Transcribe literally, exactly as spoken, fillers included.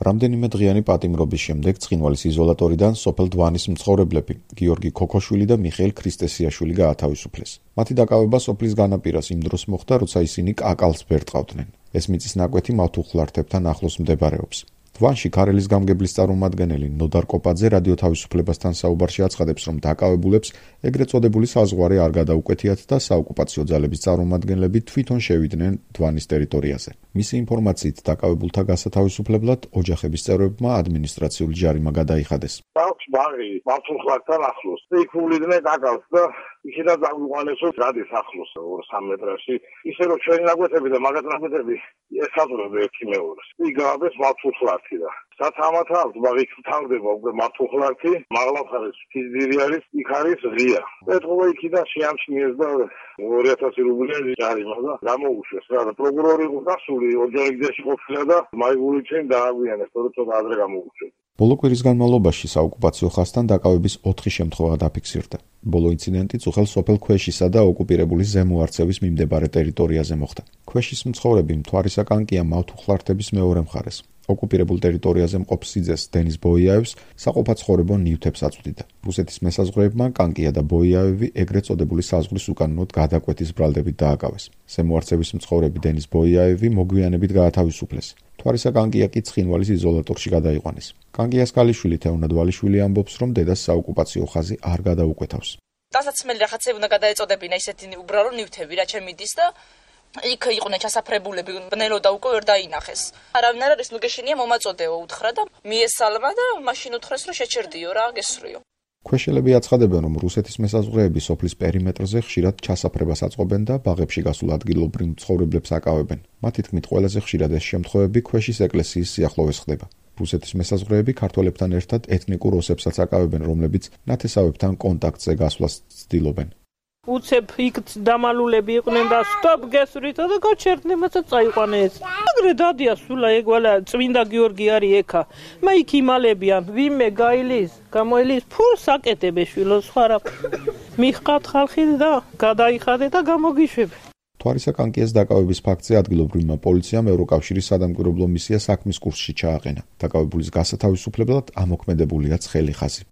რამდენიმე დღიანი პატიმრობის შემდეგ ცხინვალის იზოლატორიდან სოფელ დვანის მცხოვრებლები გიორგი ქოქოშვილი და მიხეილ ქრისტესიაშვილი გაათავისუფლეს. მათი დაკავება სოფლის განაპირას იმ დროს მოხდა, როცა ისინი კაკალს ბერტყავდნენ. ეს მიწის ნაკვეთი მავთუხლართებთან ახლოს მდებარეობს. დვანში ქარელის გამგებლის წარმომადგენელი ნოდარ კოპაძე რადიო თავისუფლებასთან საუბარში აცხადებს, რომ დაკავებულებს ეგრეთ წოდებული საზღვარი არ გადაუკვეთიათ და საოკუპაციო ძალების წარმომადგენლები თვითონ შევიდნენ დვანის ტერიტორიაზე. მისი ინფორმაციით, დაკავებულთა გასათავისუფლებლად ოჯახების წევრებმა ადმინისტრაციული ჯარიმა გადაიხადეს. აქვს ბაღი მავთუხლართთან ახლოს. იქ უვლიდნენ კაკალს და იქიდან დაგვიყვანესო გადის ახლოს ორ სამ მეტრში. ისე რომ ჩვენი ნაკვეთები და მაგათ ნაკვეთები ესაზღვრება ერთი მეორეს. იქ გააბეს მავთუხლართი და სათამათ აქვს ბაღი თავდება უკვე მავთუხლართი, მაღლაფხარის ფიზირი არის, იქ არის ღია. ეთქობა იქიდან შეამჩნიეს და ორი ათასი რუბლიანი ჯარიმა და გამოუშვეს რა და პროკურორი იყო გასული ოჯახში ყოფილა და მაიგული ჩვენ დააგვიანეს, თორე ცოტა ადრე გამოუშვეს. ბოლო კვირის განმავლობაში საოკუპაციო ხაზთან დაკავების ოთხი შემთხვევა დაფიქსირდა. ბოლო ინციდენტი წუხელ სოფელ ქვეშისა და ოკუპირებული ზემო არცევის მიმდებარე ტერიტორიაზე მოხდა. ქვეშის მცხოვრები მთვარისა კანკია მავთუხლართების მეორე მხარეს. ოკუპირებულ ტერიტორიაზე მყოფ სიძეს დენის ბოიაევს საყოფაცხოვრებო ნივთებს აწვდიდა. რუსეთის მესაზღვრეებმა კანკია და ბოიაევი ეგრეთ წოდებული საზღვრის უკანონოდ გადაკვეთის ბრალდებით დააკავეს. ზემო არცევის მცხოვრები დენის ბოიაევი მოგვიანებით გაათავისუფლეს. მთვარისა კანკია კი ცხინვალის იზოლატორში გადაიყვანეს. კანკიას ქალიშვილი თეონა დვალიშვილი ამბობს, რომ დედას საოკუპაციო ხაზი არ გადაუკვეთავს. დასაცმელი რაღაცები უნდა გადაეწოდებინა ისეთი უბრალო ნივთები, რა ჩემიდის და იქ იყვნენ ჩასაფრებულები, ბნელოდა უკვე ვერ დაინახეს. არავინ არ არის, ნუ გეშინია მომაწოდეო უთხრა და მიესალმა და მაშინ უთხრეს, რომ შეჩერდიო რა, გესრიო. ქვეშელები აცხადებენ, რომ რუსეთის მესაზღვრეები სოფლის პერიმეტრზე ხშირად ჩასაფრებას აწყობენ და ბაღებში გასულ ადგილობრივ მცხოვრებლებს აკავებენ. მათი თქმით, ყველაზე ხშირად ეს შემთხვევები ქვეშის ეკლესიის სიახლოვეს ხდება. რუსეთის მესაზღვრეები ქართველებთან ერთად ეთნიკურ ოსებსაც აკავებენ, რომლებიც ნათესავებთან კონტაქტზე გასვლას ცდილობენ. უცებ იქ დამალულები იყვნენ და სტოპ გესვრით და გაჩერდნენ მასა წაიყვანეს. აგრე დადია სულა ეგვალა წმინდა გიორგი არის ეკა. მე იქ იმალებიან ვიმე გაილის, გამოილის ფულს აკეთებე შვილო სხვა რა. მიხყავთ ხალხი და გადაიხადე და გამოგიშვებ. მთვარისა კანკიას დაკავების ფაქტზე ადგილობრივმა პოლიციამ ევროკავშირის სადამკვირვებლო მისია საქმის კურსში ჩააყენა. დაკავებულის გასათავისუფლებლად ამოქმედებულია ცხელი ხაზი.